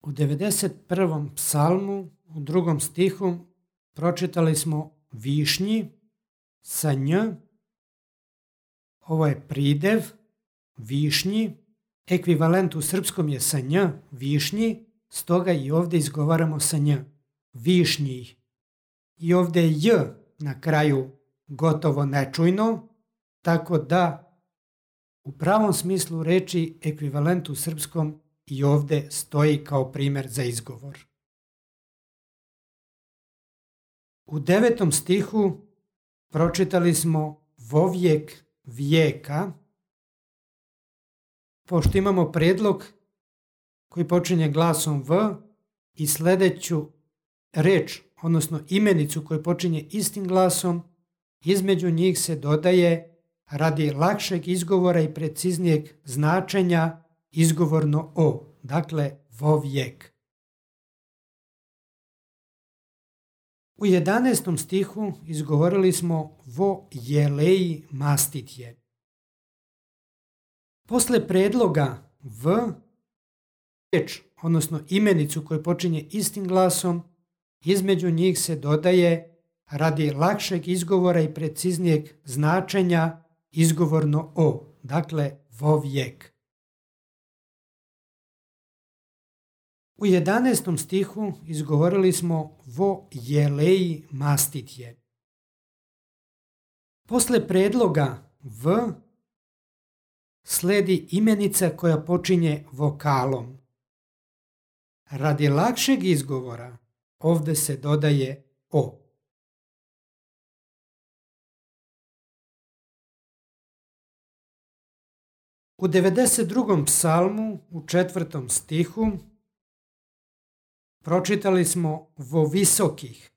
U 91. psalmu, u 2. stihu, pročitali smo višnji sa nj. Ovo je pridev, višnji. Ekvivalent u srpskom je sa nj, višnji, stoga i ovdje izgovaramo sa nj, višnji. I ovdje je j na kraju gotovo nečujno, tako da u pravom smislu reči ekvivalent u srpskom i ovdje stoji kao primjer za izgovor. U 9. stihu pročitali smo vovijek vijeka. Pošto imamo predlog koji počinje glasom v i sljedeću reč, odnosno imenicu koju počinje istim glasom, između njih se dodaje radi lakšeg izgovora i preciznijeg značenja izgovorno o, dakle vovijek. U 11. stihu izgovorili smo vo jeleji mastitje. Posle predloga v, reč, odnosno imenicu koju počinje istim glasom, između njih se dodaje radi lakšeg izgovora i preciznijeg značenja izgovorno o, dakle vovijek. U 11. stihu izgovorili smo vo jeleji mastitje. Posle predloga v sledi imenica koja počinje vokalom. Radi lakšeg izgovora ovdje se dodaje o. U 92. psalmu u 4. stihu pročitali smo vo visokih.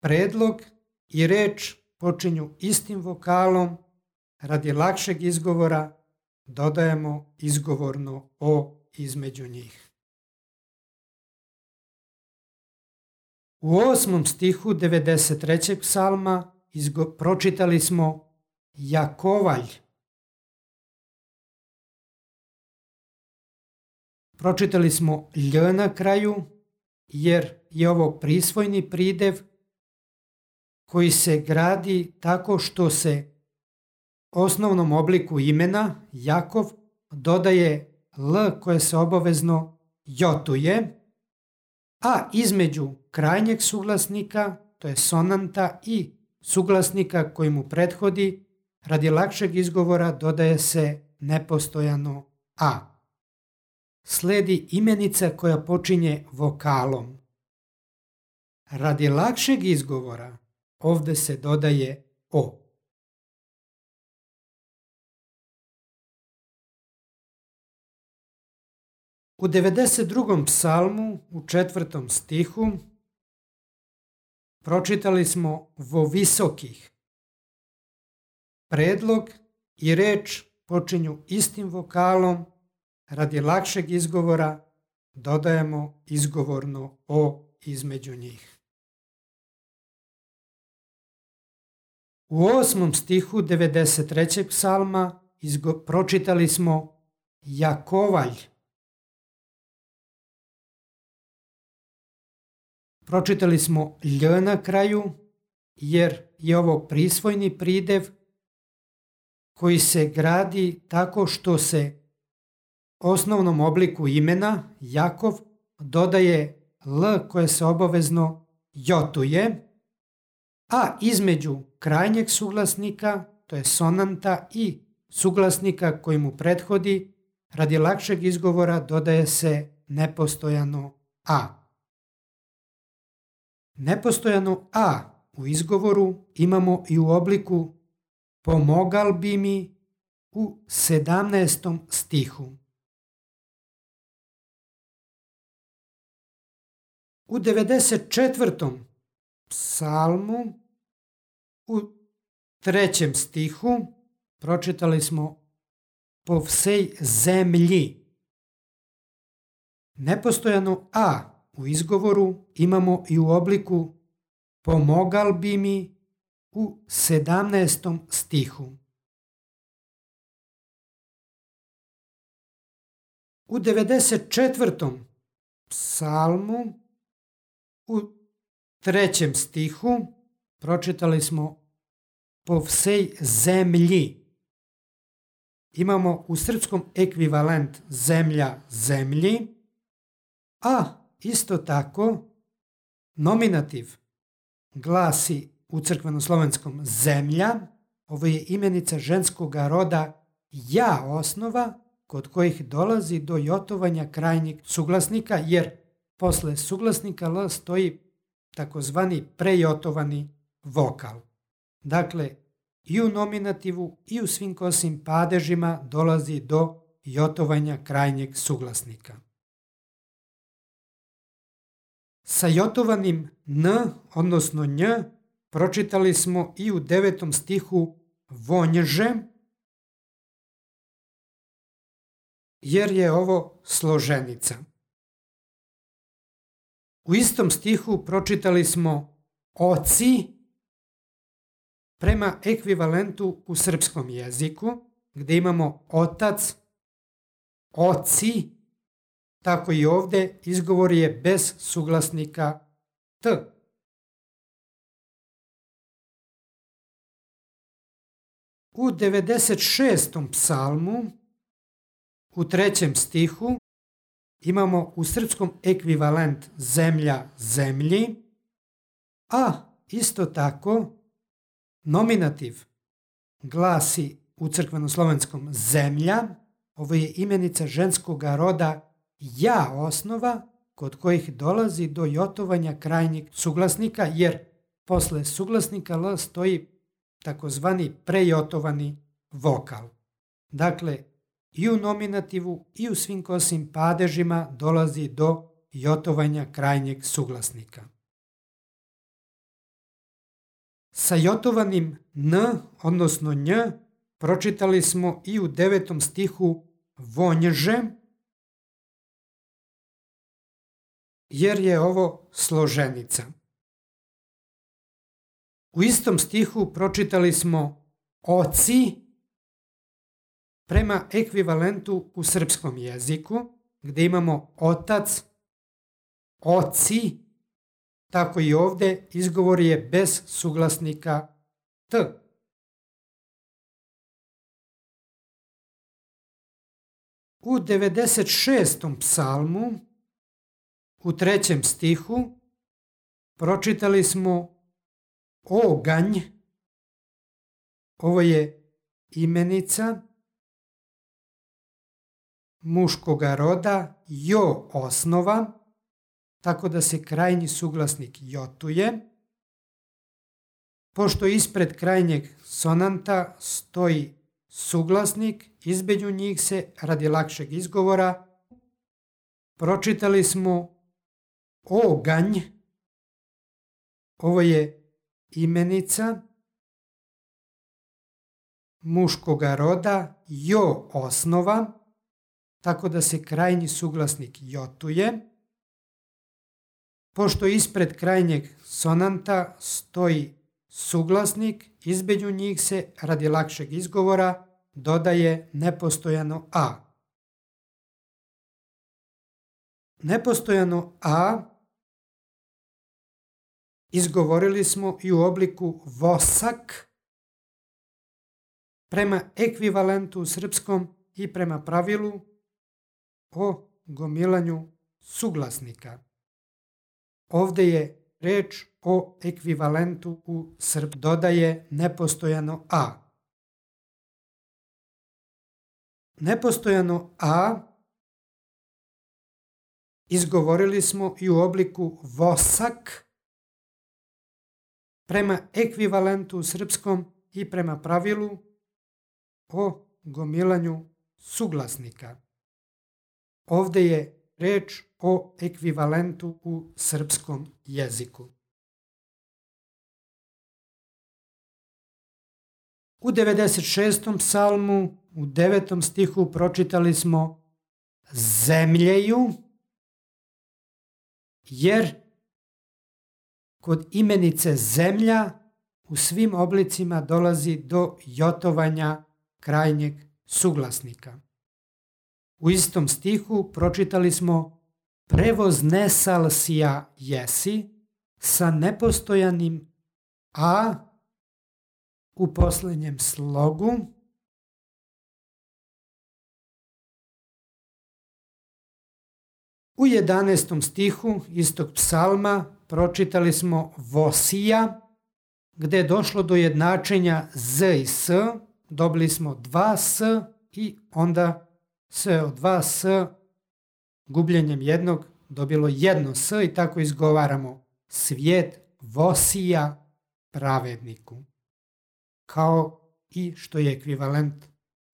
Predlog i reč počinju istim vokalom, radi lakšeg izgovora dodajemo izgovorno o između njih. U 8. stihu 93. psalma pročitali smo Jakovalj. Pročitali smo lj na kraju, jer je ovo prisvojni pridev koji se gradi tako što se osnovnom obliku imena Jakov dodaje l koje se obavezno jotuje, a između krajnjeg suglasnika, to je sonanta, i suglasnika koji mu prethodi, radi lakšeg izgovora dodaje se nepostojano a. Sledi imenica koja počinje vokalom. Radi lakšeg izgovora ovdje se dodaje o. U 92. psalmu u 4. stihu pročitali smo vo visokih. Predlog i reč počinju istim vokalom, radi lakšeg izgovora dodajemo izgovorno o između njih. U 8. stihu 93. psalma pročitali smo Jakovalj. Pročitali smo lj na kraju, jer je ovo prisvojni pridev koji se gradi tako što se osnovnom obliku imena Jakov dodaje l koje se obavezno jotuje, a između krajnjeg suglasnika, to je sonanta, i suglasnika koji mu prethodi, radi lakšeg izgovora dodaje se nepostojano a. Nepostojano a u izgovoru imamo i u obliku pomogal bi mi u 17. stihu. U 94. psalmu u 3. stihu pročitali smo po vsej zemlji. Nepostojano a u izgovoru imamo i u obliku pomogal bi mi u 17. stihu. U 94. psalmu u 3. stihu pročitali smo po vsej zemlji. Imamo u srpskom ekvivalent zemlja zemlji, a isto tako nominativ glasi u crkvenoslovenskom zemlja. Ovo je imenica ženskoga roda ja osnova kod kojih dolazi do jotovanja krajnjeg suglasnika, jer posle suglasnika L stoji takozvani prejotovani vokal. Dakle, i u nominativu i u svim kosim padežima dolazi do jotovanja krajnjeg suglasnika. Sa jotovanim n, odnosno nj, pročitali smo i u 9. stihu vonjže, jer je ovo složenica. U istom stihu pročitali smo oci prema ekvivalentu u srpskom jeziku, gdje imamo otac, oci, tako i ovdje izgovor je bez suglasnika t. U 96. psalmu u 3. stihu imamo u srpskom ekvivalent zemlja zemlji, a isto tako nominativ glasi u crkvenoslovenskom zemlja. Ovo je imenica ženskoga roda ja osnova kod kojih dolazi do jotovanja krajnjeg suglasnika, jer posle suglasnika L stoji takozvani prejotovani vokal. Dakle, i u nominativu i u svim kosim padežima dolazi do jotovanja krajnjeg suglasnika. Sa jotovanim n, odnosno nj, pročitali smo i u 9. stihu vonjže, jer je ovo složenica. U istom stihu pročitali smo oci prema ekvivalentu u srpskom jeziku, gdje imamo otac, oci, tako i ovdje izgovor je bez suglasnika t. U 96. psalmu u 3. stihu pročitali smo oganj. Ovo je imenica muškoga roda jo osnova, tako da se krajnji suglasnik jotuje. Pošto ispred krajnjeg sonanta stoji suglasnik, između njih se radi lakšeg izgovora pročitali smo oganj. Ovo je imenica muškoga roda jo osnova, tako da se krajnji suglasnik jotuje. Pošto ispred krajnjeg sonanta stoji suglasnik, između njih se radi lakšeg izgovora dodaje nepostojano a. Nepostojano a izgovorili smo i u obliku vosak prema ekvivalentu u srpskom i prema pravilu o gomilanju suglasnika. Ovdje je reč o ekvivalentu u srpskom, dodaje nepostojano a. Nepostojano a izgovorili smo i u obliku vosak prema ekvivalentu u srpskom i prema pravilu o gomilanju suglasnika. Ovdje je reč o ekvivalentu u srpskom jeziku. U 96. psalmu u 9. stihu pročitali smo zemljeju, jer kod imenice zemlja u svim oblicima dolazi do jotovanja krajnjeg suglasnika. U istom stihu pročitali smo prevoznesal si ja jesi sa nepostojanim a u posljednjem slogu. U 11. stihu istog psalma pročitali smo vosija, gdje je došlo do jednačenja z i s, dobili smo 2 s i onda se od 2 s gubljenjem jednog dobilo jedno s i tako izgovaramo svijet vosija pravedniku. Kao i što je ekvivalent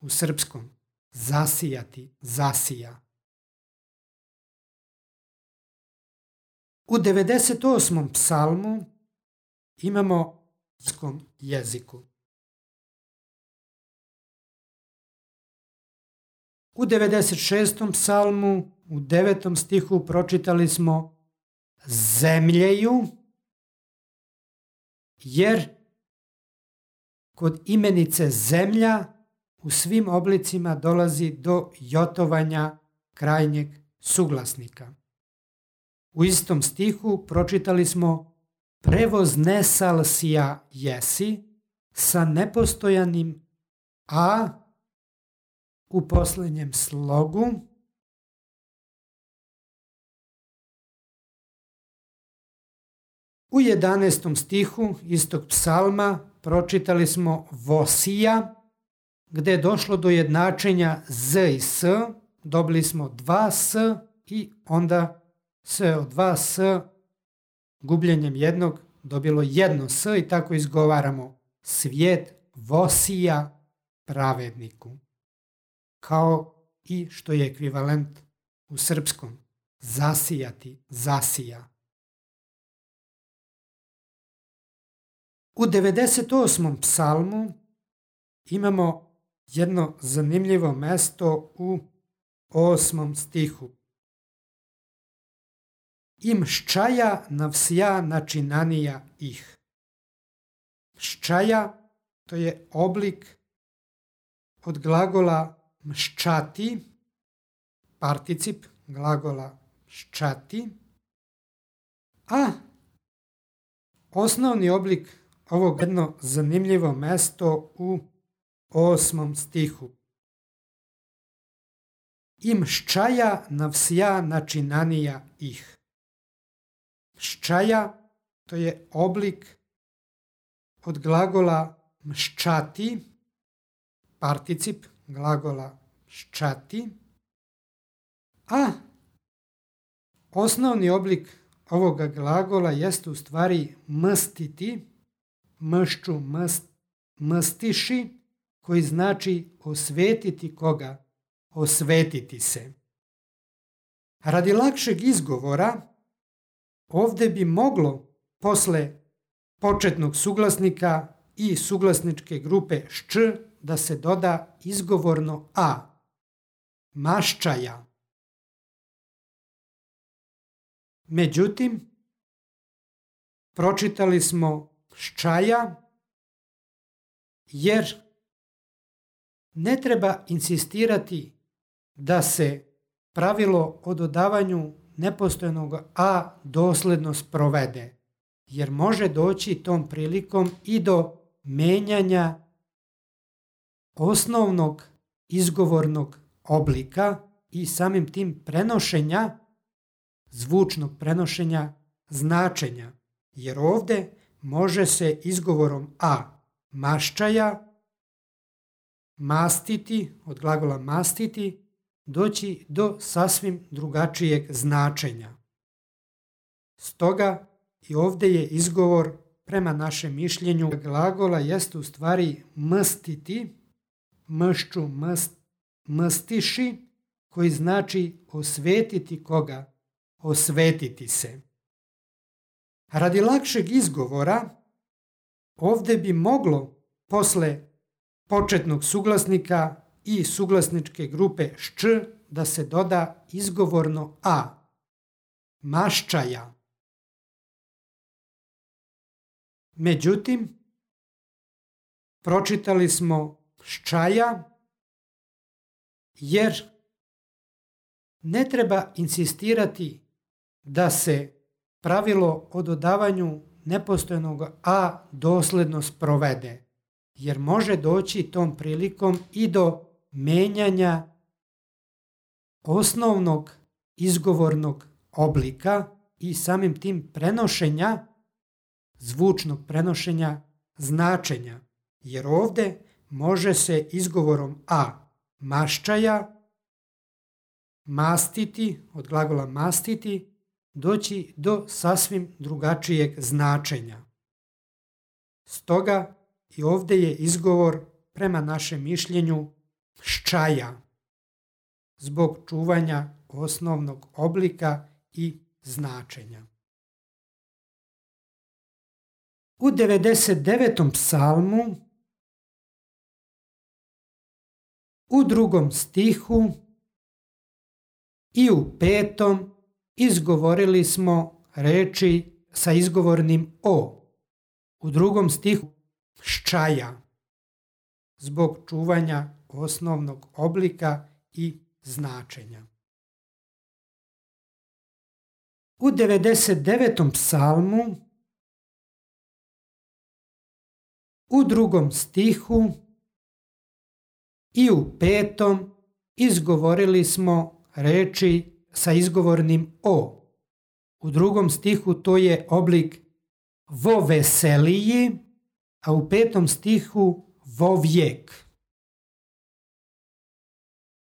u srpskom zasijati, zasija. U 98. psalmu imamo u jeziku. U 96. psalmu u 9. stihu pročitali smo zemljeju, jer kod imenice zemlja u svim oblicima dolazi do jotovanja krajnjeg suglasnika. U istom stihu pročitali smo prevoznesal si ja jesi sa nepostojanim a u posljednjem slogu. U 11. stihu istog psalma pročitali smo vosija, gdje je došlo do jednačenja z i s, dobili smo 2 s i onda se od 2 s gubljenjem jednog dobilo jedno s i tako izgovaramo svijet vosija pravedniku. Kao i što je ekvivalent u srpskom zasijati, zasija. U 98. psalmu imamo jedno zanimljivo mjesto u 8. stihu. Im ščaja navsja načinanija ih. Ščaja to je oblik od glagola mščati, particip glagola ščati, a osnovni oblik ovog jedno zanimljivo mjesto u 8. stihu. Im ščaja navsja načinanija ih. Ščaja to je oblik od glagola mščati, particip glagola ščati, a osnovni oblik ovoga glagola jeste u stvari mstiti, mšću, mstiši, koji znači osvetiti koga, osvetiti se. Radi lakšeg izgovora, ovdje bi moglo posle početnog suglasnika i suglasničke grupe šč da se doda izgovorno a, maščaja. Međutim, pročitali smo ščaja jer ne treba insistirati da se pravilo o dodavanju nepostojanog a dosledno sprovede, jer može doći tom prilikom i do menjanja osnovnog izgovornog oblika i samim tim prenošenja, zvučnog prenošenja značenja, jer ovdje može se izgovorom a maščaja, mastiti, od glagola mastiti, doći do sasvim drugačijeg značenja. Stoga i ovdje je izgovor prema našem mišljenju glagola jeste u stvari mstiti, mšću, mstiši, koji znači osvetiti koga, osvetiti se. Radi lakšeg izgovora, ovdje bi moglo posle početnog suglasnika i suglasničke grupe šč da se doda izgovorno a, maščaja. Međutim, pročitali smo ščaja jer Ne treba insistirati da se pravilo o dodavanju nepostojanog a dosledno sprovede, jer može doći tom prilikom i do menjanja osnovnog izgovornog oblika i samim tim prenošenja, zvučnog prenošenja značenja, jer ovdje može se izgovorom a maščaja, mastiti, od glagola mastiti, doći do sasvim drugačijeg značenja. Stoga i ovdje je izgovor prema našem mišljenju ščaja, zbog čuvanja osnovnog oblika i značenja. U 99. psalmu u 2. stihu i u 5. izgovorili smo reči sa izgovornim o. U 2. stihu ščaja, zbog čuvanja osnovnog oblika i značenja. U 99. psalmu u 2. stihu i u 5. izgovorili smo reči sa izgovornim o. U 2. stihu to je oblik vo veseliji, a u 5. stihu vo vijek.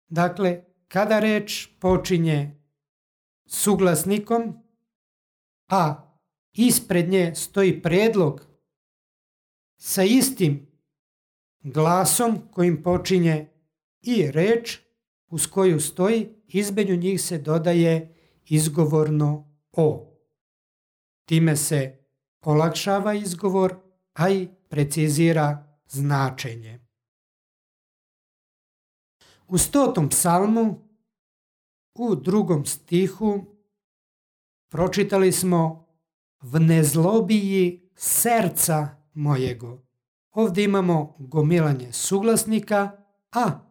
Dakle, kada reč počinje suglasnikom, a ispred nje stoji predlog sa istim glasom kojim počinje i reč uz koju stoji, između njih se dodaje izgovorno o. Time se olakšava izgovor, a i precizira značenje. U 100. psalmu u 2. stihu pročitali smo v nezlobiji serca mojego. Ovdje imamo gomilanje suglasnika, a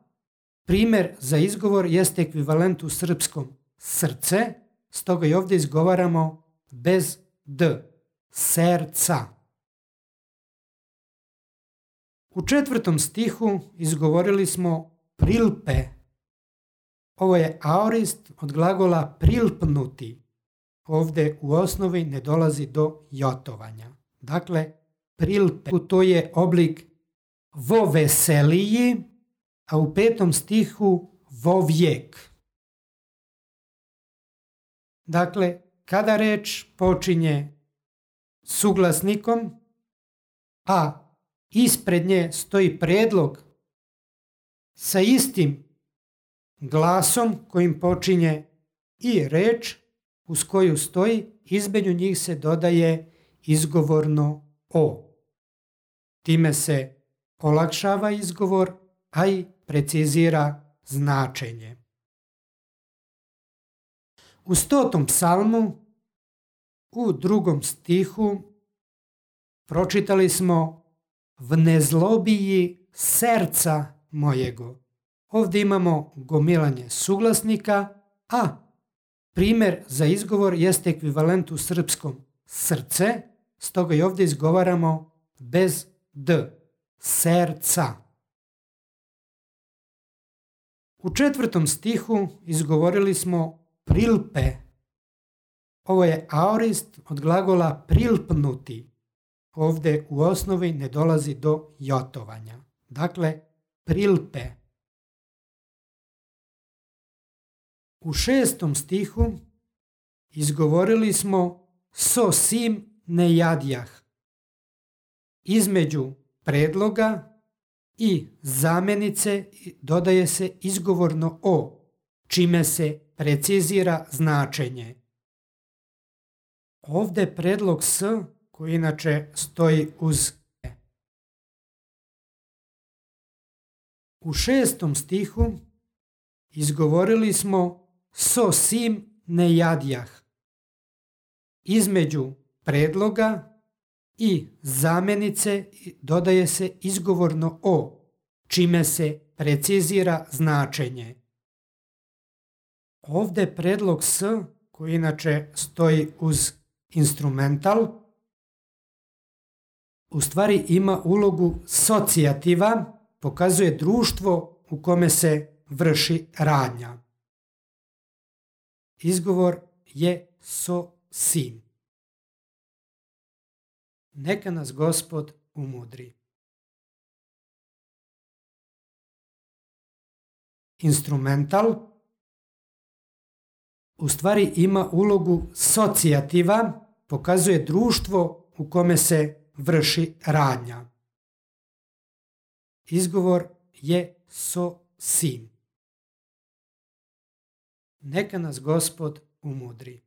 primjer za izgovor jeste ekvivalent u srpskom srce, stoga i ovdje izgovaramo bez d, serca. U 4. stihu izgovorili smo prilpe. Ovo je aorist od glagola prilpnuti. Ovdje u osnovi ne dolazi do jotovanja. Dakle, prilpe, to je oblik vo veseliji, a u 5. stihu vo vijek. Dakle, kada reč počinje suglasnikom, a ispred nje stoji predlog sa istim glasom kojim počinje i reč uz koju stoji, između njih se dodaje izgovorno o. Time se olakšava izgovor, a i precizira značenje. U 100. psalmu u 2. stihu pročitali smo v nezlobiji serca mojego. Ovdje imamo gomilanje suglasnika, a primjer za izgovor jeste ekvivalent u srpskom srce, stoga i ovdje izgovaramo bez d, serca. U 4. stihu izgovorili smo prilpe. Ovo je aorist od glagola prilpnuti. Ovdje u osnovi ne dolazi do jotovanja. Dakle, prilpe. U 6. stihu izgovorili smo so sim ne jadjah. Između predloga i zamjenice dodaje se izgovorno o, čime se precizira značenje. Ovdje predlog s, koji inače stoji uz e. U 6. stihu izgovorili smo so sim ne jadjah. Između predloga i zamjenice dodaje se izgovorno o, čime se precizira značenje. Ovdje predlog s, koji inače stoji uz instrumental, u stvari ima ulogu socijativa, pokazuje društvo u kome se vrši radnja. Izgovor je so-sim. Neka nas Gospod umudri. Instrumental u stvari ima ulogu socijativa, pokazuje društvo u kome se vrši radnja. Izgovor je so-sim. Neka nas Gospod umudri.